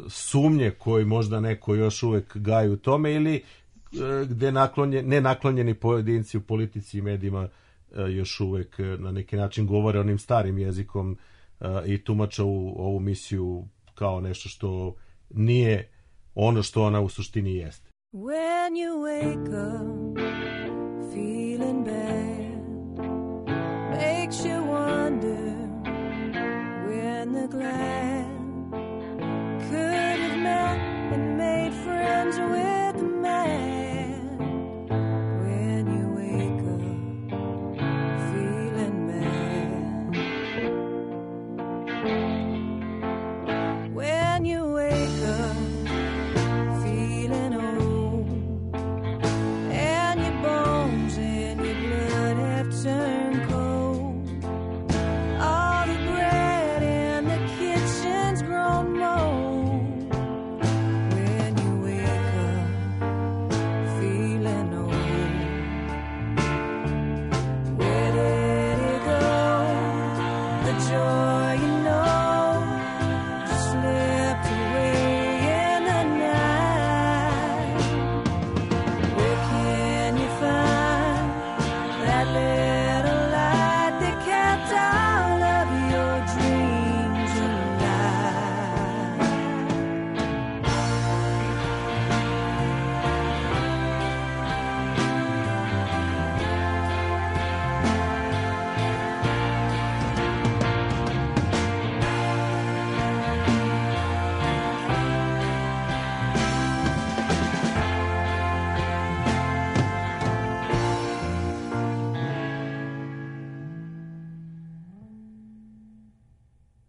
sumnje koje možda neko još uvek gaji u tome, ili uh, gde naklonje, nenaklonjeni pojedinci u politici i medijima još uvek na neki način govore onim starim jezikom uh, i tumače u, ovu misiju kao nešto što nije ono što ona u suštini jeste. When you wake up feeling bad, makes you wonder when the glad could have met and made friends with the man.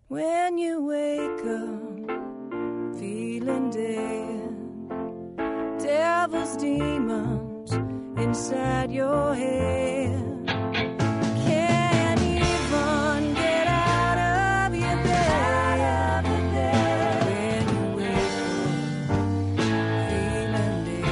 When you wake up feeling dead, devil's demons inside your head can't even get out of your bed. When you wake up feeling dead,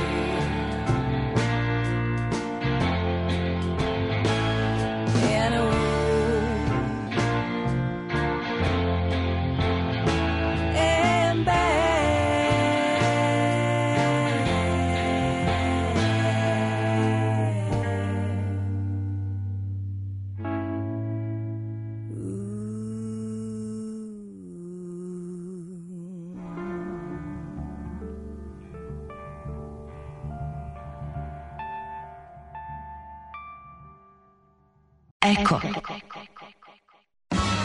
Eko.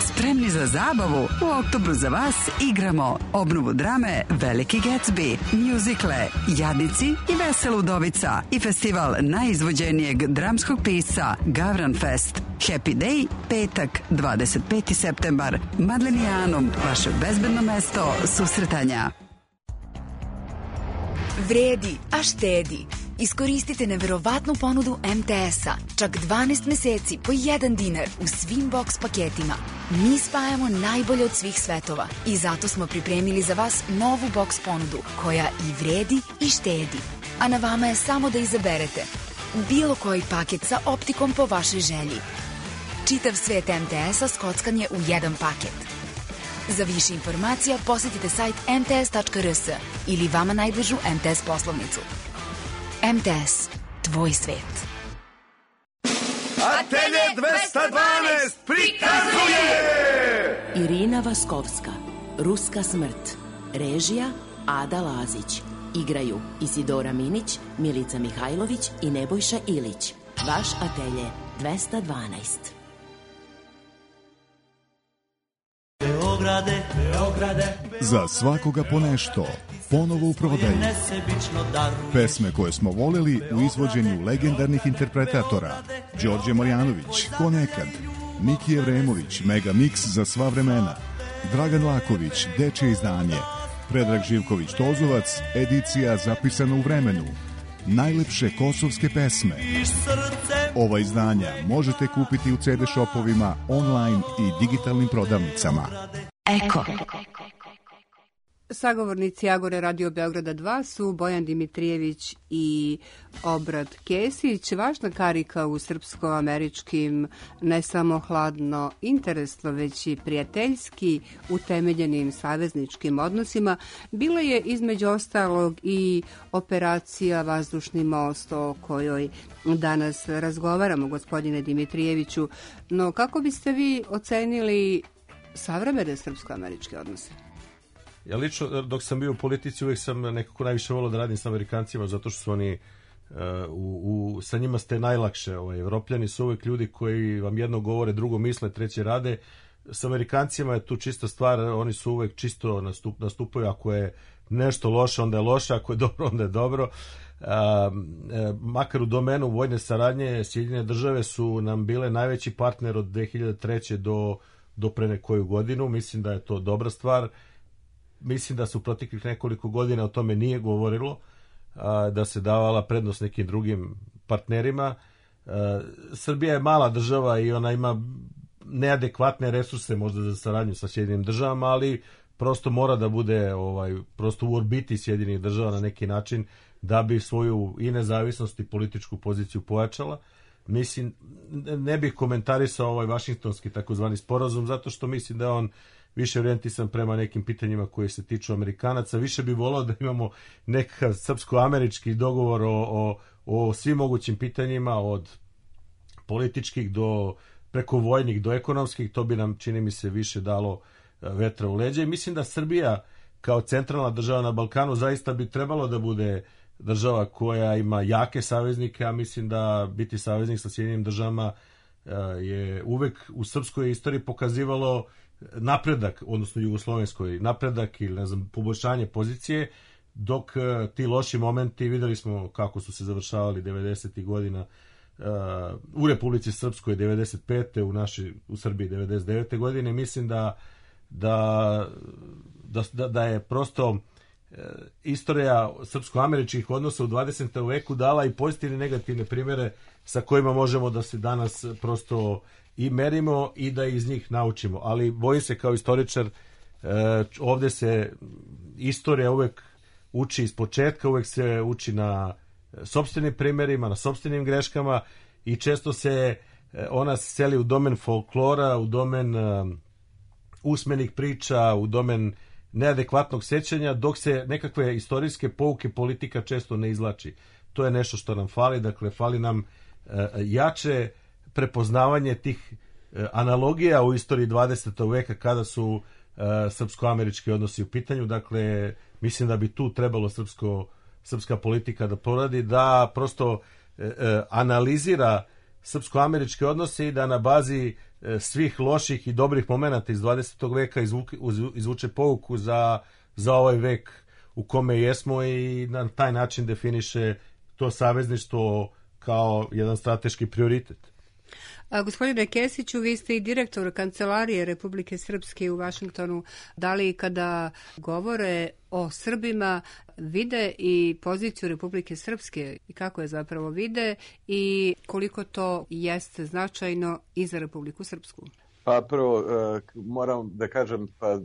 Spremni za zabavu? U oktobru za vas igramo obnovu drame Veliki Gatsby, mjuzikle Jadnici i Vesela udovica i festival najizvođenijeg dramskog pisca Gavran Fest. Happy Day, petak, dvadeset peti septembar. Madlenijanum, vaše bezbedno mesto susretanja. Vredi, a štedi. Iskoristite neverovatnu ponudu em te es-a. Čak dvanaest meseci po jedan dinar u svim box paketima. Mi spajamo najbolje od svih svetova i zato smo pripremili za vas novu box ponudu koja i vredi i štedi. A na vama je samo da izaberete bilo koji paket sa optikom po vašoj želji. Čitav svet em te es-a skockan je u jedan paket. Za više informacija posjetite sajt em te es tačka er es ili vama najbližu em te es poslovnicu. em te es, tvoj svet. Atelje dvesta dvanaest prikazuje Irina Vaskovska, Ruska smrt. Režija Ada Lazić. Igraju Isidora Minić, Milica Mihajlović i Nebojša Ilić. Vaš atelje dvesta dvanaest. Beograde, Beograde, za svakoga po nešto, ponovo u prodaju. Pesme koje smo voleli u izvođenju legendarnih interpretatora Đorđe Marjanović, Ko nekad, Miki Evremović, Mega Mix za sva vremena, Dragan Laković, Dečje izdanje, Predrag Živković Tozovac, edicija zapisana u vremenu, najlepše kosovske pesme. Ova izdanja možete kupiti u ce de shopovima, online i digitalnim prodavnicama. Eko. Sagovornici Agore Radio Beograda dva su Bojan Dimitrijević i Obrad Kesić. Važna karika u srpsko-američkim ne samo hladno interesno, već i prijateljski utemeljenim savezničkim odnosima bila je između ostalog i operacija Vazdušni most o kojoj danas razgovaramo, gospodine Dimitrijeviću. No kako biste vi ocenili savremene srpsko-američke odnose? Ja lično, dok sam bio u politici, uvijek sam nekako najviše volio da radim sa Amerikancima, zato što su oni, uh, u, u, sa njima ste najlakše. Ovaj, Evropljani su uvijek ljudi koji vam jedno govore, drugo misle, treće rade. Sa Amerikancima je tu čista stvar, oni su uvijek čisto nastup, nastupaju, ako je nešto loše, onda je loše, ako je dobro, onda je dobro. Uh, makar u domenu vojne saradnje, Sjedinjene države su nam bile najveći partner od dve hiljade treće do, do pre nekoju godinu. Mislim da je to dobra stvar. Mislim da se u proteklih nekoliko godina o tome nije govorilo, da se davala prednost nekim drugim partnerima. Srbija je mala država i ona ima neadekvatne resurse možda za saradnju sa Sjedinim državama, ali prosto mora da bude ovaj, prosto u orbiti Sjedinih država na neki način da bi svoju i nezavisnost i političku poziciju pojačala. Mislim, ne bih komentarisao ovaj vašingtonski takozvani sporazum, zato što mislim da je on više orijentisan prema nekim pitanjima koje se tiču Amerikanaca. Više bi volao da imamo nekakav srpsko-američki dogovor o, o, o svim mogućim pitanjima, od političkih do preko vojnih do ekonomskih. To bi nam, čini mi se, više dalo vetra u leđa. I mislim da Srbija kao centralna država na Balkanu zaista bi trebalo da bude država koja ima jake saveznike, a mislim da biti saveznik sa Sjedinjenim državama je uvek u srpskoj istoriji pokazivalo napredak, odnosno jugoslovenskoj napredak ili ne znam, poboljšanje pozicije, dok uh, ti loši momenti, videli smo kako su se završavali devedesetih godina uh, u Republici Srpskoj devedeset pete u naši u Srbiji devedeset devete godine. Mislim da da da, da je prosto uh, istorija srpsko-američkih odnosa u dvadesetom veku dala i pozitivne i negativne primjere sa kojima možemo da se danas prosto i merimo i da iz njih naučimo. Ali bojim se kao istoričar, eh, ovdje se istorija uvek uči iz početka, uvek se uči na sopstvenim primjerima, na sopstvenim greškama i često se eh, ona seli u domen folklora, u domen eh, usmenih priča, u domen neadekvatnog sećanja, dok se nekakve istorijske pouke politika često ne izlači. To je nešto što nam fali, dakle fali nam eh, jače prepoznavanje tih e, analogija u istoriji dvadesetog veka kada su e, srpsko-američki odnosi u pitanju. Dakle, mislim da bi tu trebalo srpsko, srpska politika da poradi, da prosto e, e, analizira srpsko-američke odnose i da na bazi svih loših i dobrih momenata iz dvadesetog veka izvuke, izvuče pouku za, za ovaj vek u kome jesmo i na taj način definiše to savezništvo kao jedan strateški prioritet. A, gospodine Kesiću, vi ste i direktor Kancelarije Republike Srpske u Vašingtonu. Da li kada govore o Srbima vide i poziciju Republike Srpske i kako je zapravo vide i koliko to jeste značajno i za Republiku Srpsku? Pa prvo moram da kažem, pa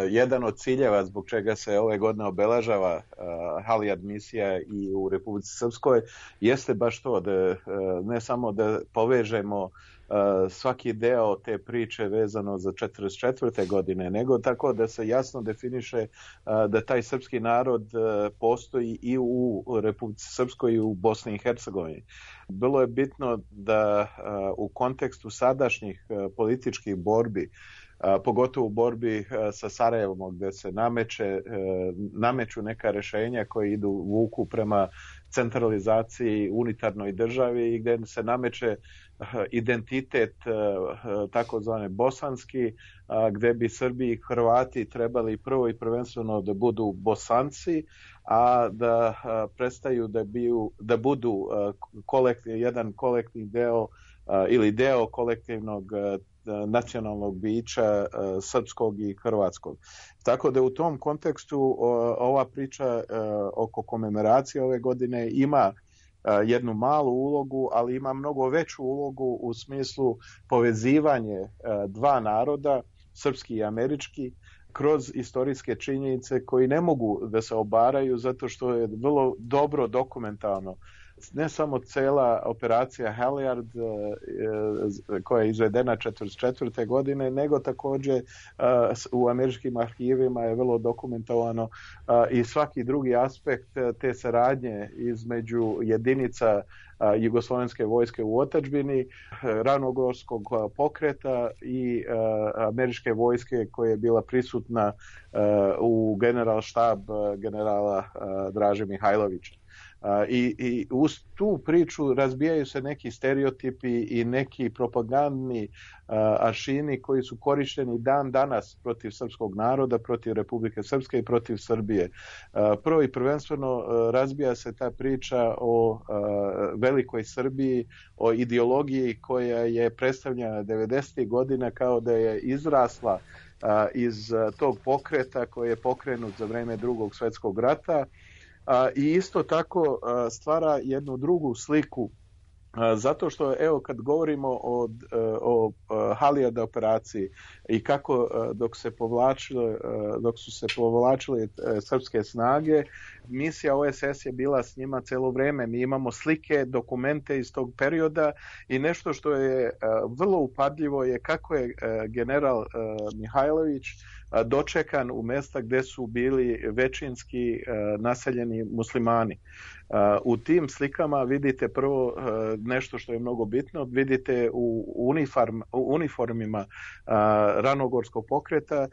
jedan od ciljeva zbog čega se ove godine obeležava Halijard misija i u Republici Srpskoj jeste baš to da ne samo da povežemo svaki deo te priče vezano za četrdeset četvrte godine, nego tako da se jasno definiše da taj srpski narod postoji i u Republici Srpskoj i u Bosni i Hercegovini. Bilo je bitno da u kontekstu sadašnjih političkih borbi, pogotovo u borbi sa Sarajevom gdje se nameće, nameću neka rješenja koje idu vuku prema centralizaciji unitarnoj državi i gdje se nameće identitet takozvane bosanski, gdje bi Srbi i Hrvati trebali prvo i prvenstveno da budu Bosanci, a da prestaju da, biju, da budu kolektiv, jedan kolektivni deo ili deo kolektivnog nacionalnog bića srpskog i hrvatskog. Tako da u tom kontekstu ova priča oko komemoracije ove godine ima jednu malu ulogu, ali ima mnogo veću ulogu u smislu povezivanje dva naroda, srpski i američki, kroz istorijske činjenice koji ne mogu da se obaraju zato što je vrlo dobro dokumentarno. Ne samo cela operacija Halijard koja je izvedena četrdeset četvrte godine, nego također u američkim arhivima je vrlo dokumentovano i svaki drugi aspekt te saradnje između jedinica jugoslovenske vojske u otadžbini, ranogorskog pokreta i američke vojske koja je bila prisutna u general štab generala Draže Mihajlovića. I, i uz tu priču razbijaju se neki stereotipi i neki propagandni aršini koji su korišteni dan danas protiv srpskog naroda, protiv Republike Srpske i protiv Srbije. Prvo i prvenstveno razbija se ta priča o velikoj Srbiji, o ideologiji koja je predstavljena devedesetih godina kao da je izrasla iz tog pokreta koji je pokrenut za vreme Drugog svjetskog rata. I isto tako stvara jednu drugu sliku zato što evo kad govorimo o, o, o Halijard operaciji i kako dok se povlačile, dok su se povlačile srpske snage, misija O S S je bila s njima cijelo vrijeme. Mi imamo slike, dokumente iz tog perioda i nešto što je vrlo upadljivo je kako je general Mihajlović dočekan u mjesta gdje su bili većinski naseljeni muslimani. U tim slikama vidite prvo nešto što je mnogo bitno, vidite u, uniform, u uniformima ranogorskog pokreta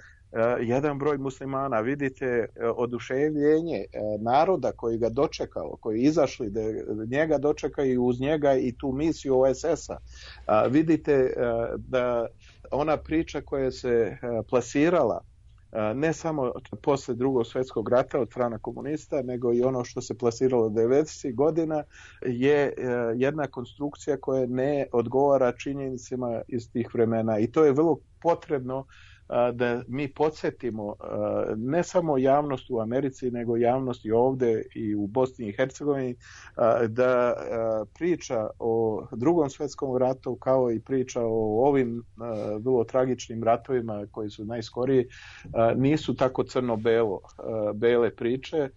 jedan broj muslimana, vidite oduševljenje naroda koji ga dočekao, koji izašli da njega dočekaju i uz njega i tu misiju O S S-a. Vidite da ona priča koja se plasirala ne samo posle Drugog svjetskog rata od strane komunista, nego i ono što se plasiralo devedesetih godina je jedna konstrukcija koja ne odgovara činjenicama iz tih vremena i to je vrlo potrebno da mi podsjetimo ne samo javnost u Americi, nego javnost i ovdje i u Bosni i Hercegovini da priča o Drugom svjetskom ratu kao i priča o ovim vrlo tragičnim ratovima koji su najskoriji nisu tako crno-belo bele priče.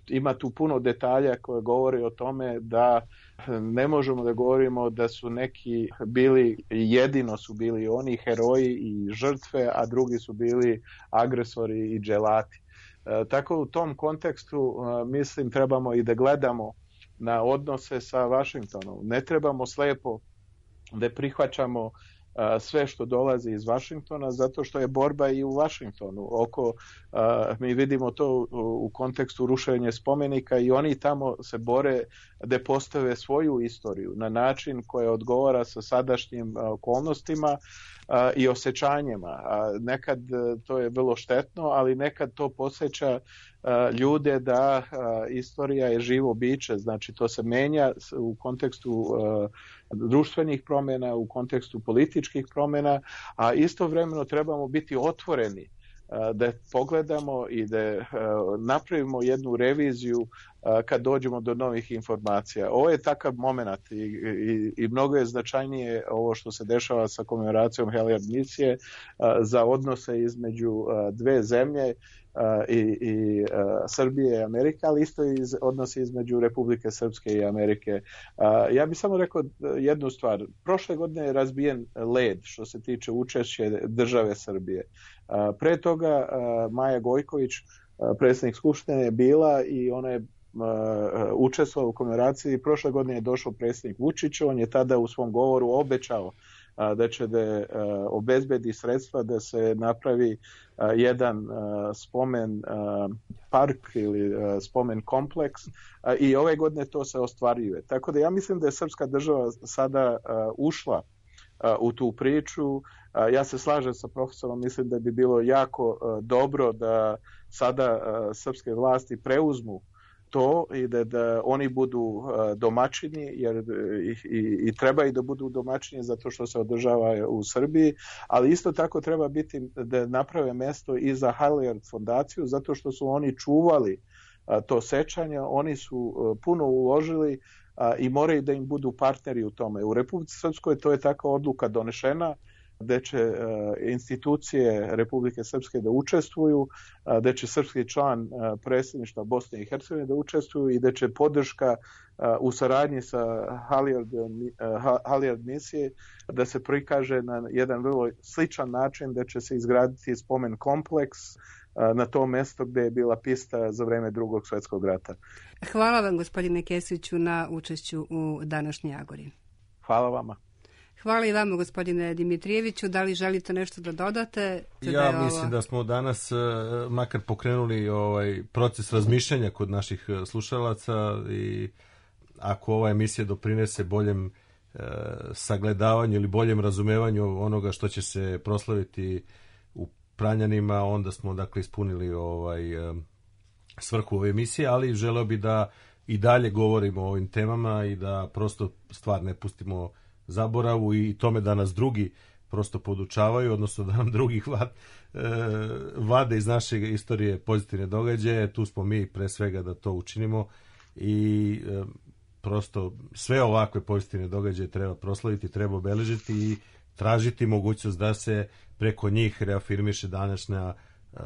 Ima tu puno detalja koje govori o tome da ne možemo da govorimo da su neki bili, jedino su bili oni heroji i žrtve, a drugi su bili agresori i dželati. E, tako u tom kontekstu e, mislim trebamo i da gledamo na odnose sa Vašingtonom. Ne trebamo slepo da prihvaćamo sve što dolazi iz Vašingtona, zato što je borba i u Vašingtonu. Oko, mi vidimo to u kontekstu rušenja spomenika i oni tamo se bore da postave svoju istoriju na način koji odgovara sa sadašnjim okolnostima i osjećanjima. Nekad to je vrlo štetno, ali nekad to podsjeća ljude da istorija je živo biće, znači to se menja u kontekstu društvenih promjena, u kontekstu političkih promjena, a istovremeno trebamo biti otvoreni da pogledamo i da napravimo jednu reviziju kad dođemo do novih informacija. Ovo je takav moment i, i, i mnogo je značajnije ovo što se dešava sa komemoracijom Halyard misije za odnose između dve zemlje i, i Srbije i Amerike, ali isto i odnosi između Republike Srpske i Amerike. Ja bih samo rekao jednu stvar. Prošle godine je razbijen led što se tiče učešće države Srbije. Pre toga Maja Gojković, predsjednik Skupštine, je bila i ona je učestvovao u komemoraciji. Prošle godine je došao predsjednik Vučić, on je tada u svom govoru obećao da će da obezbedi sredstva da se napravi jedan spomen park ili spomen kompleks i ove godine to se ostvaruje. Tako da ja mislim da je srpska država sada ušla u tu priču. Ja se slažem sa profesorom, mislim da bi bilo jako dobro da sada srpske vlasti preuzmu to i da, da oni budu domaćini, jer i, i, i treba i da budu domaćini zato što se održava u Srbiji, ali isto tako treba biti da naprave mesto i za Halyard fondaciju zato što su oni čuvali to sećanje, oni su puno uložili i moraju da im budu partneri u tome. U Republici Srpskoj to je takva odluka donešena, gde će uh, institucije Republike Srpske da učestvuju, uh, gde će srpski član uh, predsjedništva Bosne i Hercegovine da učestvuju i gde će podrška uh, u saradnji sa Halyard, uh, Halyard misije da se prikaže na jedan vrlo sličan način, da će se izgraditi spomen kompleks uh, na to mesto gde je bila pista za vreme Drugog svjetskog rata. Hvala vam, gospodine Kesiću, na učešću u današnjoj Agori. Hvala vama. Hvala i vama, gospodine Dimitrijeviću. Da li želite nešto da dodate? Ja da je mislim ovo... da smo danas makar pokrenuli ovaj proces razmišljanja kod naših slušalaca i ako ova emisija doprinese boljem e, sagledavanju ili boljem razumevanju onoga što će se proslaviti u Pranjanima, onda smo dakle ispunili ovaj e, svrhu ove emisije, ali želeo bi da i dalje govorimo o ovim temama i da prosto stvar ne pustimo zaboravu i tome da nas drugi prosto podučavaju, odnosno da nam drugih vad, e, vade iz naše istorije pozitivne događaje. Tu smo mi pre svega da to učinimo i e, prosto sve ovakve pozitivne događaje treba proslaviti, treba obeležiti i tražiti mogućnost da se preko njih reafirmiše današnja e,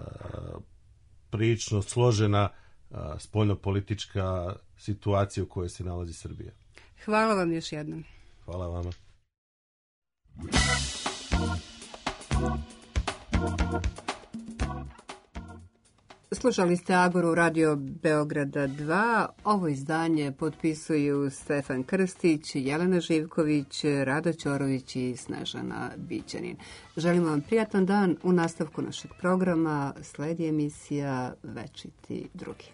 prilično složena e, spoljnopolitička situacija u kojoj se nalazi Srbija. Hvala vam još jednom. Hvala vama. Slušali ste Agoru Radio Beograda dva. Ovo izdanje potpisuju Stefan Krstić, Jelena Živković, Rada Ćorović i Snežana Bićanin. Želimo vam prijatan dan. U nastavku našeg programa sledi emisija Večiti drugi.